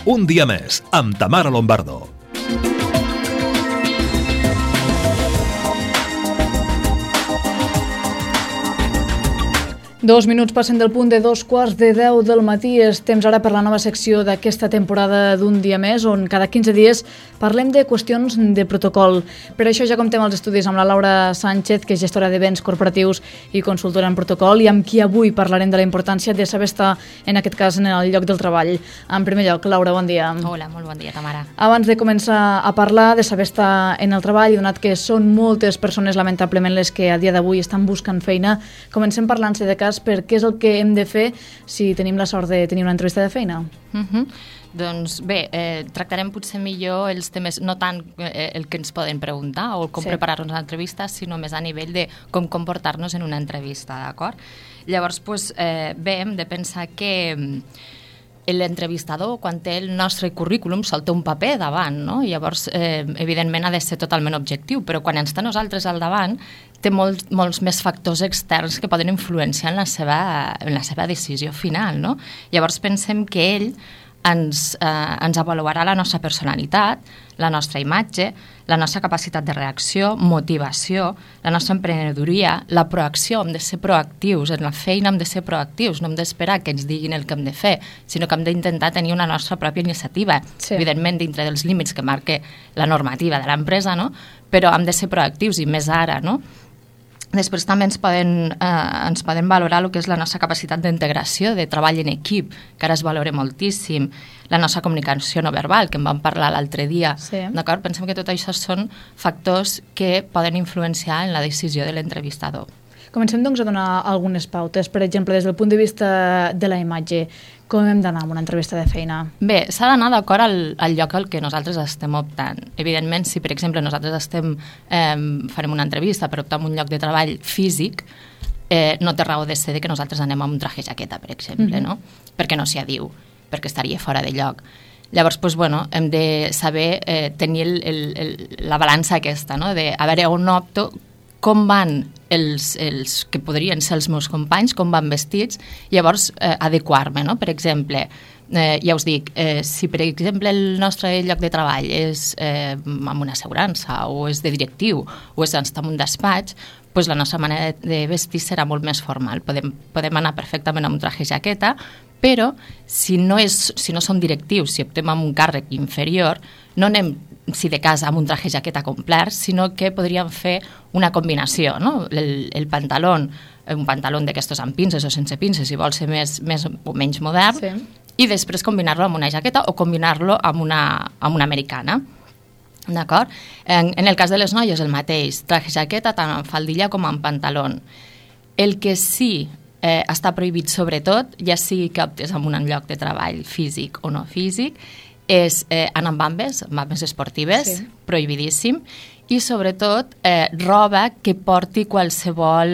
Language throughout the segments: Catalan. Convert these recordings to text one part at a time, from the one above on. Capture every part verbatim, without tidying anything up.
Un dia més, amb Tamara Lombardo. Dos minuts passen del punt de dos quarts de deu del matí. És temps ara per la nova secció d'aquesta temporada d'Un dia més, on cada quinze dies parlem de qüestions de protocol. Per això ja comptem els estudis amb la Laura Sánchez, que és gestora de béns corporatius i consultora en protocol, i amb qui avui parlarem de la importància de saber estar, en aquest cas, en el lloc del treball. En primer lloc, Laura, bon dia. Hola, molt bon dia, Tamara. Abans de començar a parlar de saber estar en el treball, donat que són moltes persones, lamentablement, les que a dia d'avui estan buscant feina, comencem parlant-se de cas per què és el que hem de fer si tenim la sort de tenir una entrevista de feina. Uh-huh. Doncs bé, eh, tractarem potser millor els temes, no tant eh, el que ens poden preguntar o com sí. preparar-nos a l'entrevista, sinó més a nivell de com comportar-nos en una entrevista, d'acord? Llavors, pues, eh, bé, hem de pensar que l'entrevistador, quan té el nostre currículum, sol té un paper davant, no? Llavors, eh, evidentment, ha de ser totalment objectiu, però quan ens té nosaltres al davant, té molts, molts més factors externs que poden influenciar en la seva, en la seva decisió final, no? Llavors, pensem que ell ens, eh, ens avaluarà la nostra personalitat, la nostra imatge, la nostra capacitat de reacció, motivació, la nostra emprenedoria, la proacció. Hem de ser proactius, en la feina hem de ser proactius, no hem d'esperar que ens diguin el que hem de fer, sinó que hem d'intentar tenir una nostra pròpia iniciativa, sí. evidentment dintre dels límits que marque la normativa de l'empresa, no? Però hem de ser proactius, i més ara, no? Després també ens poden, eh, ens poden valorar el que és la nostra capacitat d'integració, de treball en equip, que ara es valora moltíssim, la nostra comunicació no verbal, que en vam parlar l'altre dia. Sí. D'acord? Pensem que tot això són factors que poden influenciar en la decisió de l'entrevistador. Comencem, doncs, a donar algunes pautes. Per exemple, des del punt de vista de la imatge, com hem d'anar amb una entrevista de feina? Bé, s'ha d'anar d'acord al, al lloc al que nosaltres estem optant. Evidentment, si per exemple nosaltres estem, eh, farem una entrevista per optar en un lloc de treball físic, eh, no té raó de ser que nosaltres anem amb un traje jaqueta, per exemple, mm-hmm. no? Perquè no s'hi adiu, perquè estaria fora de lloc. Llavors, doncs, bueno, hem de saber eh, tenir el, el, el, la balança aquesta, no? De a veure on opto, com van els, els que podrien ser els meus companys, com van vestits, llavors eh, adequar-me, no? Per exemple, eh, ja us dic, eh, si per exemple el nostre lloc de treball és eh, amb una assegurança o és de directiu o és en un despatx, doncs la nostra manera de vestir serà molt més formal. Podem, podem anar perfectament amb un traje jaqueta, però si no, és, si no som directius, si optem amb un càrrec inferior, no anem, si de cas, amb un traje jaqueta complet, sinó que podríem fer una combinació, no? El, el pantaló, un pantaló d'aquestos amb pinces o sense pinces, si vol ser més, més o menys modern, sí. I després combinar-lo amb una jaqueta o combinar-lo amb una, amb una americana. D'acord? En, en el cas de les noies, el mateix, traje jaqueta tant en faldilla com en pantaló. El que sí eh, està prohibit sobretot, ja sigui que optes en un lloc de treball físic o no físic, és eh, anar amb bambes, amb bambes esportives, sí. Prohibidíssim, i sobretot eh, roba que porti qualsevol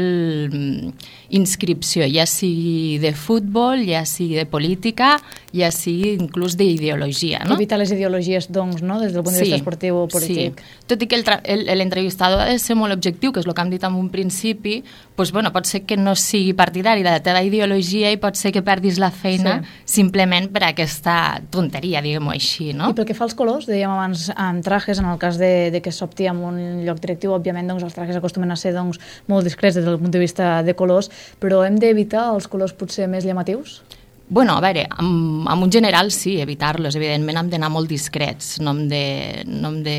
mm, inscripció, ja sigui de futbol, ja sigui de política, ja sigui inclús d'ideologia. No? Evitar les ideologies, doncs, no? Des del punt de vista sí, esportiu o polític. Sí. Tot i que l'entrevistador ha de ser molt objectiu, que és el que hem dit en un principi, doncs, bueno, pot ser que no sigui partidari de la teva ideologia i pot ser que perdis la feina sí. Simplement per aquesta tonteria, diguem-ho així. No? I pel que fa als colors, dèiem abans en trajes, en el cas de, de que s'opti en un lloc directiu, òbviament doncs, els trajes acostumen a ser doncs, molt discrets des del punt de vista de colors, però hem d'evitar els colors potser més llamatius? Bueno, a veure, en, en un general sí, evitar-los. Evidentment hem d'anar molt discrets, no hem de... No hem de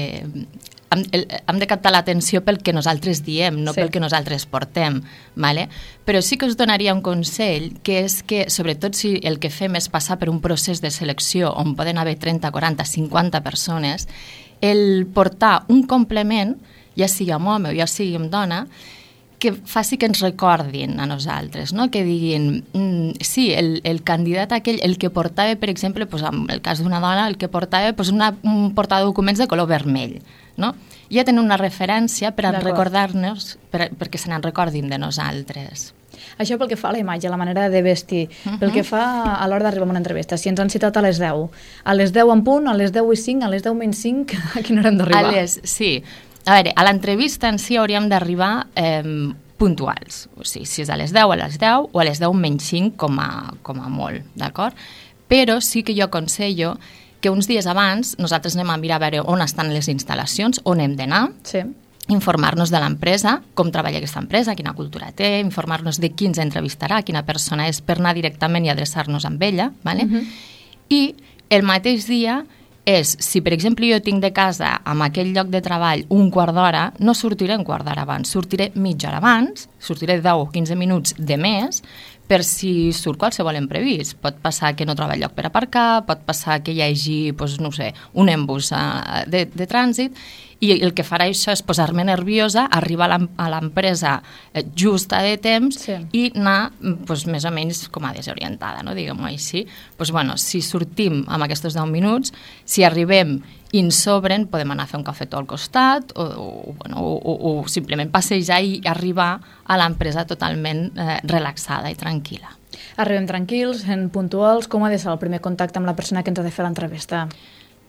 hem, hem de captar l'atenció pel que nosaltres diem, no sí. Pel que nosaltres portem, ¿vale? Però sí que us donaria un consell, que és que, sobretot si el que fem és passar per un procés de selecció on poden haver trenta, quaranta, cinquanta persones, el portar un complement, ja sigui amb home o ja sigui amb dona, que faci que ens recordin a nosaltres, no? Que diguin, mm, sí, el, el candidat aquell, el que portava, per exemple, pues, en el cas d'una dona, el que portava pues, una, un portadocuments de color vermell, no? Ja tenen una referència per a recordar-nos, per, perquè se n'en recordin de nosaltres. Això pel que fa a la imatge, a la manera de vestir, uh-huh. Pel que fa a l'hora d'arribar a una entrevista, si ens han citat a les deu, a les deu en punt, a les deu i cinc, a les deu menys cinc, a quina hora hem d'arribar? A les, sí. A veure, a l'entrevista en si hauríem d'arribar eh, puntuals. O sigui, si és a les deu, a les deu, o a les deu menys cinc com a, com a molt, d'acord? Però sí que jo aconsello que uns dies abans nosaltres anem a mirar a veure on estan les instal·lacions, on hem d'anar, Sí. informar-nos de l'empresa, com treballa aquesta empresa, quina cultura té, informar-nos de qui ens entrevistarà, quina persona és, per anar directament i adreçar-nos amb ella, ¿vale? Mhm. I el mateix dia és, si per exemple jo tinc de casa amb aquell lloc de treball un quart d'hora, no sortiré un quart d'hora abans, sortiré mitja hora abans, sortiré deu o quinze minuts de més, per si surt qualsevol imprevist. Pot passar que no troba lloc per aparcar, pot passar que hi hagi, doncs, no sé, un embús de, de trànsit, i el que farà això és posar-me nerviosa, arribar a l'empresa justa de temps Sí. i anar doncs, més o menys com a desorientada, no? Diguem-ho així. Doncs, bueno, si sortim amb aquests deu minuts, si arribem i ens sobren, podem anar a fer un cafetó al costat o, o, bueno, o, o, o simplement passejar i arribar a l'empresa totalment eh, relaxada i tranquil·la. Arribem tranquils, sent puntuals. Com ha de ser el primer contacte amb la persona que ens ha de fer l'entrevista?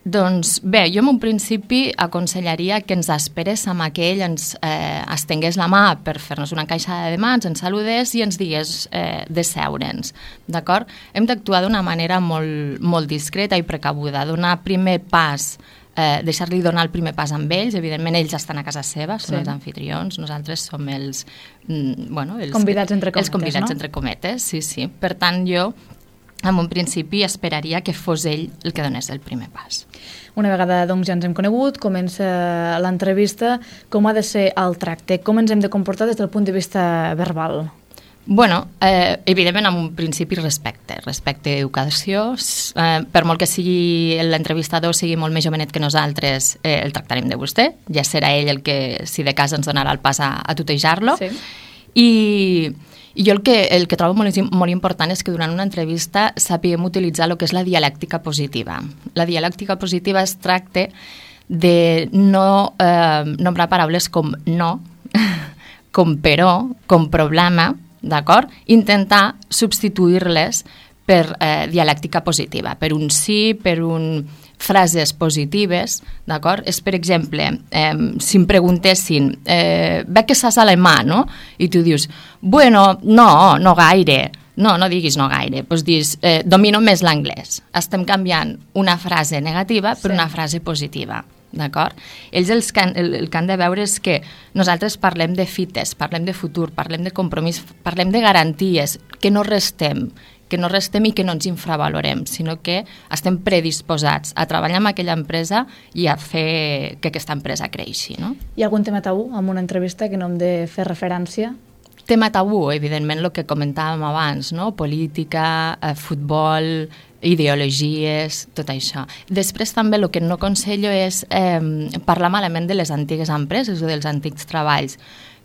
Doncs bé, jo en un principi aconsellaria que ens esperés amb que ell ens eh, estengués la mà per fer-nos una encaixada de mans, ens saludés i ens digués eh, de seure'ns, d'acord? Hem d'actuar d'una manera molt, molt discreta i precabuda, donar primer pas, eh, deixar-li donar el primer pas amb ells, evidentment ells estan a casa seva, són Sí. els anfitrions, nosaltres som els, mm, bueno, els Convidats entre cometes, els convidats no? entre cometes, sí, sí. Per tant, jo en un principi esperaria que fos ell el que donés el primer pas. Una vegada doncs, ja ens hem conegut, comença l'entrevista, com ha de ser el tracte? Com ens hem de comportar des del punt de vista verbal? Bueno, eh, evidentment amb un principi respecte, respecte i educació. Eh, per molt que sigui l'entrevistador sigui molt més jovenet que nosaltres, eh, el tractarem de vostè, ja serà ell el que, si de casa ens donarà el pas a, a tutejar-lo. Sí. I, i jo el que, el que trobo molt, molt important és que durant una entrevista sapiguem utilitzar el que és la dialèctica positiva. La dialèctica positiva es tracta de no eh, nombrar paraules com no, com però, com problema, d'acord? Intentar substituir-les per eh, dialèctica positiva, per un sí, per un frases positives, d'acord? És, per exemple, eh, si em preguntessin, eh, veig que saps alemà, no? I tu dius, bueno, no, no gaire. No, no diguis no gaire, doncs dis, eh, domino més l'anglès. Estem canviant una frase negativa per Sí. una frase positiva, d'acord? Ells els que han, el, el que han de veure és que nosaltres parlem de fites, parlem de futur, parlem de compromís, parlem de garanties, que no restem, que no restem i que no ens infravalorem, sinó que estem predisposats a treballar amb aquella empresa i a fer que aquesta empresa creixi, no? Hi ha algun tema tabú en una entrevista que no hem de fer referència? Tema tabú, evidentment, el que comentàvem abans, no? Política, eh, futbol, ideologies, tot això. Després també el que no aconsello és eh, parlar malament de les antigues empreses o dels antics treballs,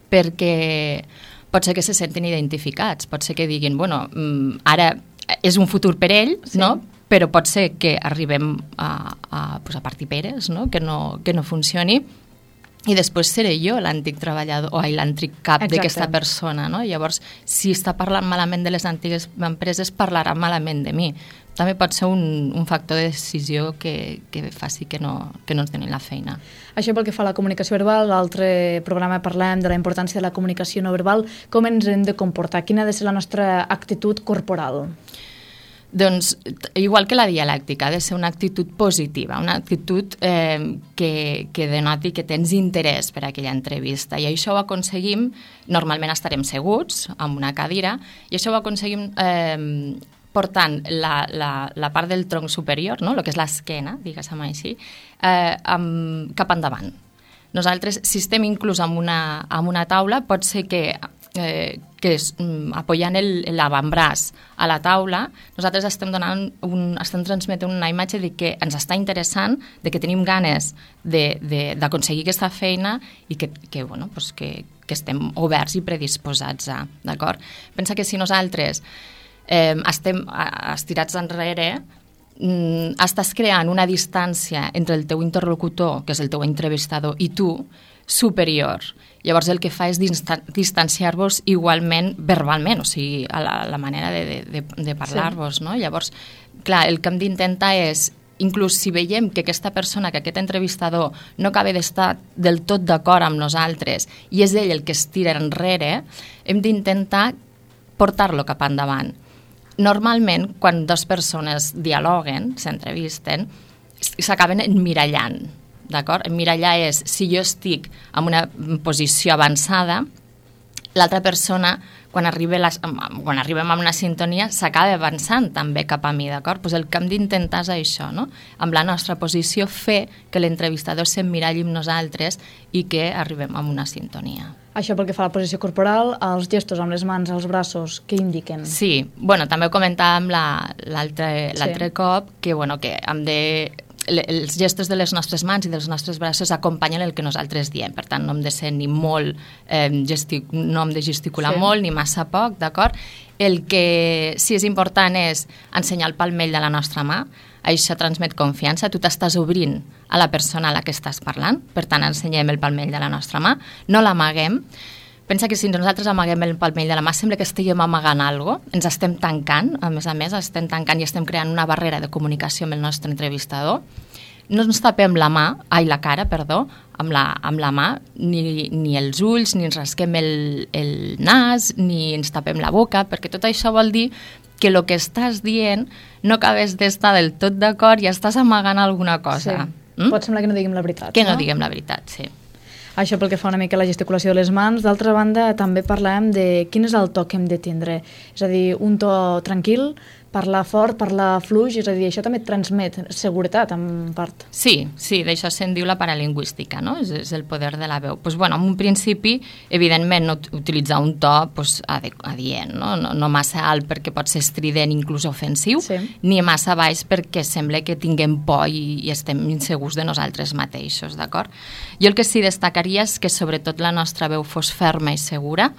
perquè pot ser que se sentin identificats, pot ser que diguin, bueno, ara és un futur per ell, Sí. no? Però pot ser que arribem a, a, pues a partir peres, no? Que no, que no funcioni, i després seré jo l'antic treballador o l'antic cap Exacte. d'aquesta persona, no? Llavors, si està parlant malament de les antigues empreses, parlarà malament de mi. També pot ser un, un factor de decisió que, que faci que no, que no ens donin la feina. Això pel que fa a la comunicació verbal, l'altre programa parlem de la importància de la comunicació no verbal. Com ens hem de comportar? Quina ha de ser la nostra actitud corporal? Doncs, igual que la dialèctica, ha de ser una actitud positiva, una actitud eh, que, que denoti que tens interès per a aquella entrevista. I això ho aconseguim, normalment estarem seguts en una cadira, i això ho aconseguim eh, portant la, la, la part del tronc superior, no? El que és l'esquena, diguéssim així, eh, amb, cap endavant. Nosaltres, si estem inclús en una, en una taula, pot ser que eh, que és, mm, apoyant l'avantbraç a la taula, nosaltres estem donant un, estem transmetent una imatge de que ens està interessant, de que tenim ganes d'aconseguir aquesta feina i que, que, bueno, pues que, que estem oberts i predisposats a, d'acord? Pensa que si nosaltres eh, estem estirats enrere, mm, estàs creant una distància entre el teu interlocutor, que és el teu entrevistador, i tu, superior. Llavors el que fa és distanciar-vos igualment verbalment, o sigui, a la, la manera de, de, de parlar-vos, no? Llavors, clar, el que hem d'intentar és, inclús si veiem que aquesta persona, que aquest entrevistador no acaba d'estar del tot d'acord amb nosaltres i és ell el que es tira enrere, hem d'intentar portar-lo cap endavant. Normalment, quan dues persones dialoguen, s'entrevisten, s'acaben emmirallant, d'acord? Emmirallar és, si jo estic en una posició avançada, l'altra persona, quan, arriba la, quan arribem a una sintonia, s'acaba avançant també cap a mi, d'acord? Pues el que hem d'intentar és això, no? Amb la nostra posició fer que l'entrevistador s'emmiralli amb nosaltres i que arribem a una sintonia. Això pel que fa a la posició corporal, els gestos amb les mans, els braços, què indiquen? Sí, bueno, també ho comentàvem l'altre sí. cop, que, bueno, que hem de... els gestos de les nostres mans i dels nostres braços acompanyen el que nosaltres diem, per tant no hem de ser ni molt eh, gestic, no hem de gesticular sí. molt ni massa poc, d'acord? El que sí és important és ensenyar el palmell de la nostra mà, això transmet confiança, tu t'estàs obrint a la persona a la que estàs parlant, per tant ensenyem el palmell de la nostra mà, no l'amaguem. Pensa que si nosaltres amaguem el palmell de la mà sembla que estiguem amagant alguna cosa, ens estem tancant, a més a més, estem tancant i estem creant una barrera de comunicació amb el nostre entrevistador. No ens tapem la mà, ai, la cara, perdó, amb la, amb la mà, ni, ni els ulls, ni ens rasquem el, el nas, ni ens tapem la boca, perquè tot això vol dir que el que estàs dient no acabes d'estar del tot d'acord i estàs amagant alguna cosa. Sí. Mm? Pot semblar que no diguem la veritat. Que no, no diguem la veritat, sí. Això pel que fa una mica a la gesticulació de les mans. D'altra banda, també parlàvem de quin és el to que hem de tindre. És a dir, un to tranquil, parlar fort, parlar fluix, és a dir, això també transmet seguretat, en part. Sí, sí, d'això se'n diu la paralingüística, no? És, és el poder de la veu. Pues, bueno, en un principi, evidentment, no utilitzar un to pues, adient, no? No, no massa alt perquè pot ser estrident, inclús ofensiu, sí. ni massa baix perquè sembla que tinguem por i, i estem insegurs de nosaltres mateixos, d'acord? Jo el que sí destacaria és que sobretot la nostra veu fos ferma i segura,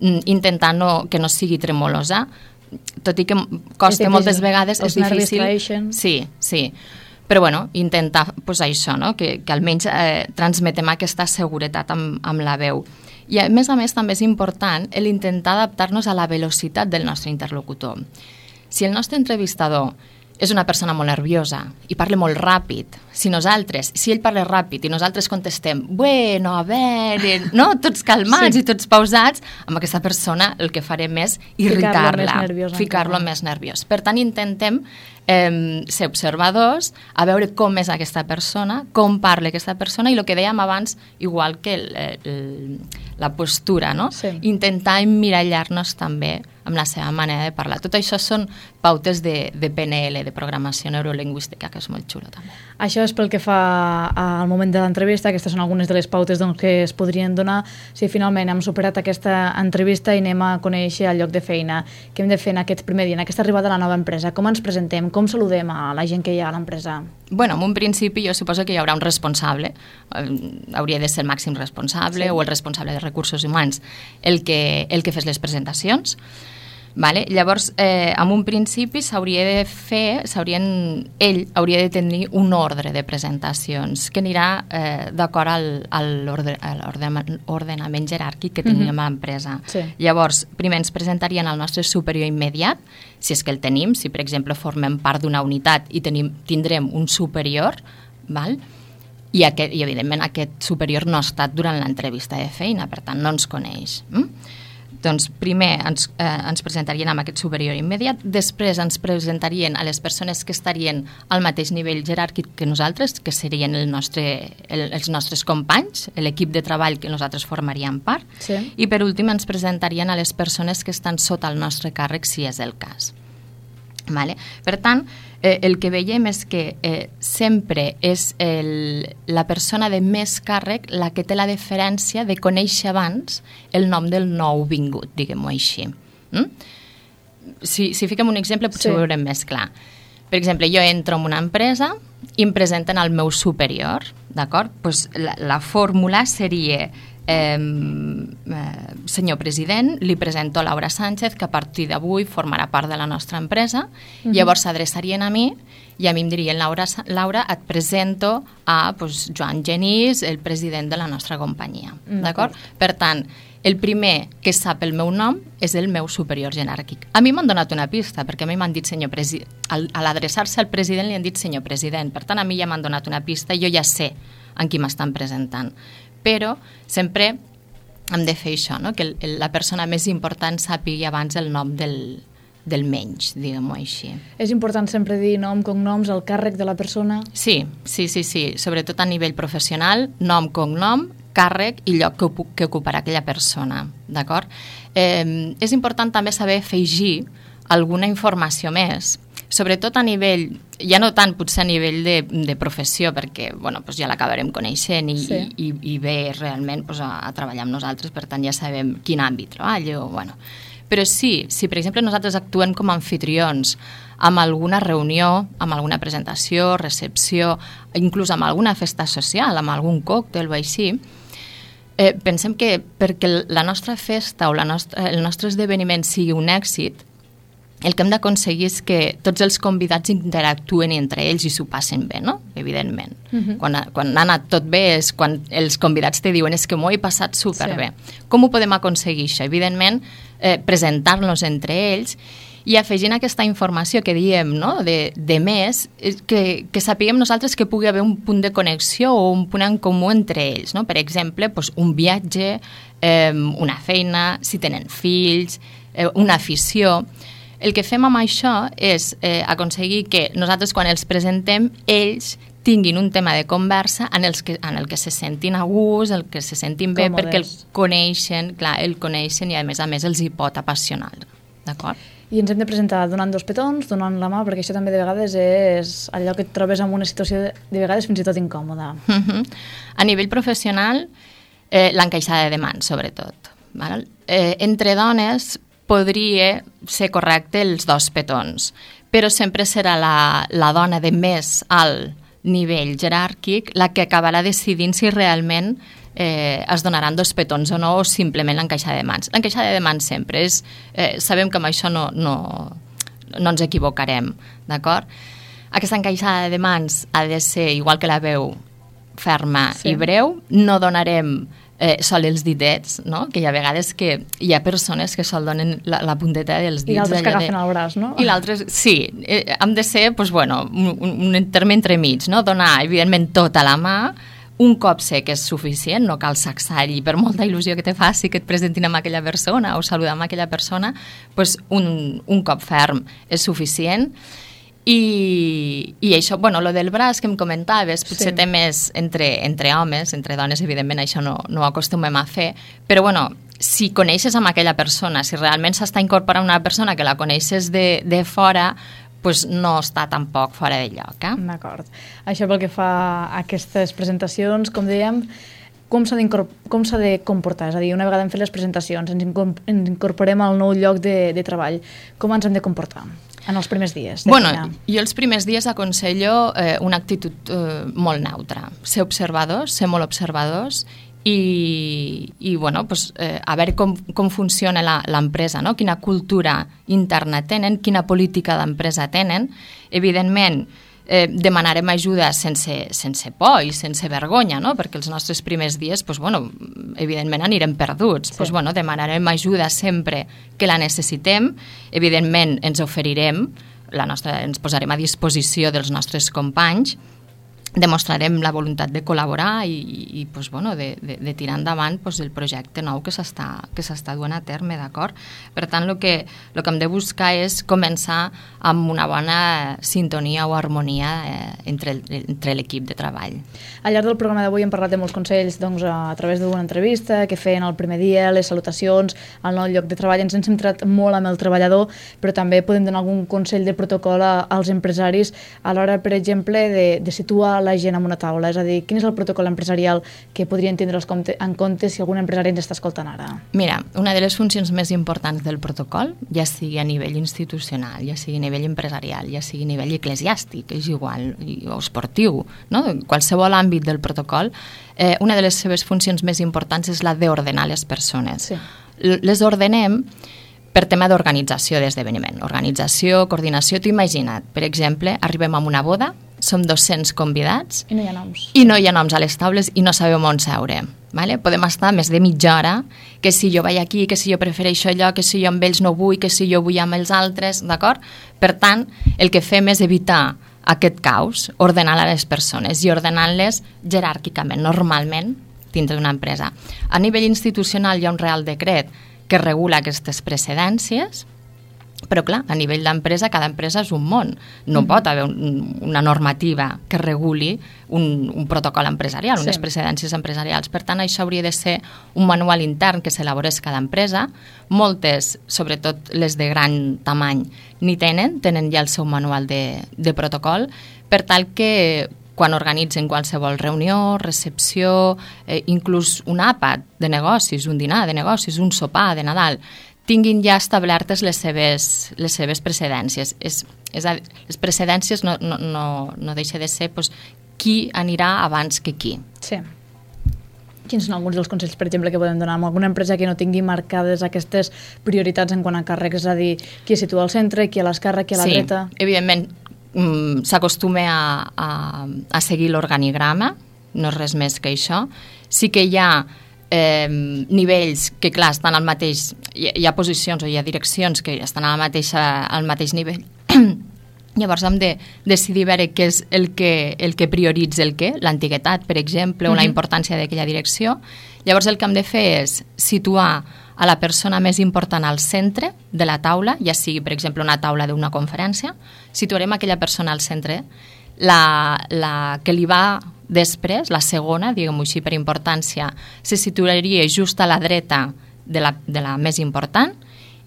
intentant no, que no sigui tremolosa, tot i que costa moltes vegades, és difícil. Sí, sí. Però bueno, intentar pues, això, no? que, que almenys eh, transmetem aquesta seguretat amb, amb la veu. I a més a més també és important l'intentar adaptar-nos a la velocitat del nostre interlocutor. Si el nostre entrevistador és una persona molt nerviosa i parla molt ràpid, si nosaltres, si ell parla ràpid i nosaltres contestem, bueno, a veure, no? Tots calmats sí. i tots pausats, amb aquesta persona el que farem és irritar-la, ficar-lo més nerviós. Per tant, intentem eh, ser observadors, a veure com és aquesta persona, com parla aquesta persona i el que dèiem abans, igual que el, el, la postura, no? Sí. Intentar emmirallar-nos també amb la seva manera de parlar. Tot això són pautes de, de P N L, de programació neurolingüística, que és molt xulo també. Això és pel que fa al moment de l'entrevista, aquestes són algunes de les pautes doncs, que es podrien donar si finalment hem superat aquesta entrevista i anem a conèixer el lloc de feina. Què hem de fer en aquest primer dia, en aquesta arribada a la nova empresa? Com ens presentem? Com saludem a la gent que hi ha a l'empresa? Bueno, en un principi jo suposo que hi haurà un responsable, hauria de ser el màxim responsable sí. o el responsable de recursos humans, el que, el que fes les presentacions. Vale? Llavors, eh, en un principi s'hauria de fer, ell hauria de tenir un ordre de presentacions que anirà eh, d'acord al, a l'ordenament jeràrquic que tenim mm-hmm. a l'empresa. Sí. Llavors, primer ens presentarien al nostre superior immediat, si és que el tenim, si per exemple formem part d'una unitat i tenim, tindrem un superior, val? I, aquest, i evidentment aquest superior no ha estat durant l'entrevista de feina, per tant no ens coneix. Mm? Doncs primer ens, eh, ens presentarien amb aquest superior immediat, després ens presentarien a les persones que estarien al mateix nivell jeràrquic que nosaltres, que serien el nostre, el, els nostres companys, l'equip de treball que nosaltres formaríem part, sí. i per últim ens presentarien a les persones que estan sota el nostre càrrec, si és el cas. Vale? Per tant, eh, el que veiem és que eh, sempre és el, la persona de més càrrec la que té la deferència de conèixer abans el nom del nou vingut, diguem-ho així. Mm? Si, si fiquem un exemple potser sí. ho veurem més clar. Per exemple, jo entro en una empresa i em presenten al meu superior, d'acord? Pues la, la fórmula seria... Eh, eh, senyor president, li presento Laura Sánchez, que a partir d'avui formarà part de la nostra empresa. Uh-huh. Llavors s'adreçarien a mi i a mi em dirien, Laura, Laura et presento a pues, Joan Genís, el president de la nostra companyia. Uh-huh. D'acord? Per tant, el primer que sap el meu nom és el meu superior jeràrquic. A mi m'han donat una pista, perquè a mi m'han dit senyor president. Al, a l'adreçar-se al president li han dit senyor president. Per tant, a mi ja m'han donat una pista i jo ja sé en qui m'estan presentant. Però sempre hem de fer això, no? Que el, la persona més important sàpigui abans el nom del, del menys, diguem-ho així. És important sempre dir nom, cognoms, el càrrec de la persona? Sí, sí, sí, sí. Sobretot a nivell professional, nom, cognom, càrrec i lloc que, que ocuparà aquella persona, d'acord? Eh, és important també saber afegir alguna informació més, sobretot a nivell, ja no tant potser a nivell de, de professió, perquè bueno, doncs ja l'acabarem coneixent i, sí. i, i ve realment doncs, a, a treballar amb nosaltres, per tant ja sabem quin àmbit treballa. O, bueno. Però sí, si per exemple nosaltres actuem com a anfitrions amb alguna reunió, amb alguna presentació, recepció, inclús amb alguna festa social, amb algun còctel o així, eh, pensem que perquè la nostra festa o la nostra, el nostre esdeveniment sigui un èxit, el que hem d'aconseguir és que tots els convidats interactuen entre ells i s'ho passen bé, no? Evidentment. Uh-huh. Quan, quan ha anat tot bé és quan els convidats te diuen és que m'ho he passat superbé. Sí. Com ho podem aconseguir això? Evidentment, eh, presentar-nos entre ells i afegint aquesta informació que diem, no? de, de més, que, que sapiguem nosaltres que pugui haver un punt de connexió o un punt en comú entre ells. No? Per exemple, doncs, un viatge, eh, una feina, si tenen fills, eh, una afició. El que fem amb això és eh, aconseguir que nosaltres quan els presentem, ells tinguin un tema de conversa en, els que, en el que se sentin a gust, el que se sentin bé, Còmodes. perquè el coneixen, clar, el coneixen i a més a més els hi pot apassionar, d'acord? I ens hem de presentar donant dos petons, donant la mà, perquè això també de vegades és allò que et trobes en una situació de, de vegades fins i tot incòmoda. Uh-huh. A nivell professional, eh, l'encaixada de mans, sobretot. Val? Eh, entre dones podria ser correcte els dos petons, però sempre serà la, la dona de més alt nivell jeràrquic la que acabarà decidint si realment eh, es donaran dos petons o no, o simplement l'encaixada de mans. L'encaixada de mans sempre és... Eh, sabem que amb això no, no, no ens equivocarem, d'acord? Aquesta encaixada de mans ha de ser, igual que la veu, ferma sí. i breu. No donarem eh, sol els ditets, no? Que hi ha vegades que hi ha persones que sol donen la, la punteta dels dits. I altres que agafen de... el braç, no? I l'altre, sí, eh, hem de ser, doncs, bueno, un, un terme entremig, no? Donar, evidentment, tota la mà, un cop sé que és suficient, no cal sacsar-hi per molta il·lusió que te faci que et presentin amb aquella persona o saludar amb aquella persona, doncs un, un cop ferm és suficient. I, i això, bueno, lo del braç que em comentaves, potser sí. té més entre, entre homes, entre dones, evidentment això no, no ho acostumem a fer, però bueno, si coneixes amb aquella persona, si realment s'està incorporant una persona que la coneixes de, de fora, pues no està tampoc fora de lloc. Eh? D'acord. Això pel que fa a aquestes presentacions, com dèiem, com s'ha de comportar? És a dir, una vegada hem fet les presentacions, ens incorporem al nou lloc de, de treball, com ens hem de comportar en els primers dies? Bueno, jo els primers dies aconsello eh, una actitud eh, molt neutra. Ser observadors, ser molt observadors i, i bueno, pues, eh, a veure com, com funciona l'empresa, no? Quina cultura interna tenen, quina política d'empresa tenen. Evidentment, eh, demanarem ajuda sense, sense por i sense vergonya, no? Perquè els nostres primers dies, pues, bueno, evidentment anirem perduts. Sí. Pues, bueno, demanarem ajuda sempre que la necessitem. Evidentment ens oferirem, la nostra, ens posarem a disposició dels nostres companys, demostrarem la voluntat de col·laborar i, i pues, bueno, de, de, de tirar endavant pues, el projecte nou que s'està que s'està duent a terme, d'acord? Per tant, el que, el que hem de buscar és començar amb una bona sintonia o harmonia eh, entre, entre l'equip de treball. Al llarg del programa d'avui hem parlat de molts consells doncs, a través d'una entrevista que feien el primer dia, les salutacions, el nou lloc de treball. Ens hem centrat molt amb el treballador, però també podem donar algun consell de protocol a, als empresaris a l'hora, per exemple, de, de situar la gent en una taula, és a dir, quin és el protocol empresarial que podrien tindre en compte si algun empresari ens està escoltant ara? Mira, una de les funcions més importants del protocol, ja sigui a nivell institucional, ja sigui a nivell empresarial, ja sigui a nivell eclesiàstic, és igual, o esportiu, no? Qualsevol àmbit del protocol, eh, una de les seves funcions més importants és la d'ordenar les persones. Sí. Les ordenem per tema d'organització d'esdeveniment. Organització, coordinació, t'ho imagina't. Per exemple, arribem a una boda, som dos-cents convidats i no hi ha noms. I no hi ha noms a les taules i no sabem on seure. Vale? Podem estar més de mitja hora, que si jo vaig aquí, que si jo prefereixo allò, que si jo amb ells no vull, que si jo vull amb els altres, d'acord? Per tant, el que fem és evitar aquest caos, ordenar les persones i ordenant-les jeràrquicament, normalment, dintre d'una empresa. A nivell institucional hi ha un Real Decret que regula aquestes precedències, Però, clar, a nivell d'empresa, cada empresa és un món. No mm. pot haver un, una normativa que reguli un, un protocol empresarial, sí. unes precedències empresarials. Per tant, això hauria de ser un manual intern que s'elaborés cada empresa. Moltes, sobretot les de gran tamany, ni tenen, tenen ja el seu manual de, de protocol, per tal que quan organitzen qualsevol reunió, recepció, eh, inclús un àpat de negocis, un dinar de negocis, un sopar de Nadal, tinguin ja establertes les seves, les seves precedències. És, és a, les precedències no, no, no, no deixa de ser pues, qui anirà abans que qui. Sí. Quins són alguns dels consells, per exemple, que podem donar a alguna empresa que no tingui marcades aquestes prioritats en quant a càrrecs? És a dir, qui es situa al centre, qui a l'esquerra, qui a la sí, dreta? Sí, evidentment, mm, s'acostuma a, a, a seguir l'organigrama, no és res més que això. Sí que hi ha Eh, nivells que, clar, estan al mateix... Hi, hi ha posicions o hi ha direccions que estan al mateix, al mateix nivell. Llavors hem de decidir veure què és el que, el que prioritza el què, l'antiguitat, per exemple, mm-hmm. o la importància d'aquella direcció. Llavors el que hem de fer és situar a la persona més important al centre de la taula, ja sigui, per exemple, una taula d'una conferència, situarem aquella persona al centre, la, la que li va després, la segona, diguem-ho així per importància, se situaria just a la dreta de la, de la més important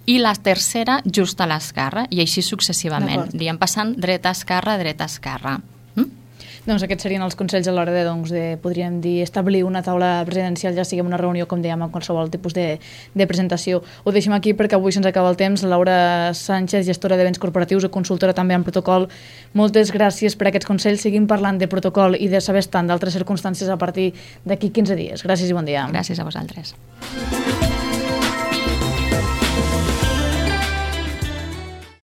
i la tercera just a l'esquerra, i així successivament. Anirem passant dreta, esquerra, dreta, esquerra. Mm? Doncs aquests serien els consells a l'hora de, doncs, de, podríem dir, establir una taula presidencial, ja sigui una reunió, com dèiem, amb qualsevol tipus de, de presentació. Ho deixem aquí perquè avui se'ns acaba el temps. Laura Sánchez, gestora de béns corporatius i consultora també en protocol. Moltes gràcies per aquests consells. Seguim parlant de protocol i de saber estar en d'altres circumstàncies a partir d'aquí quinze dies. Gràcies i bon dia. Gràcies a vosaltres.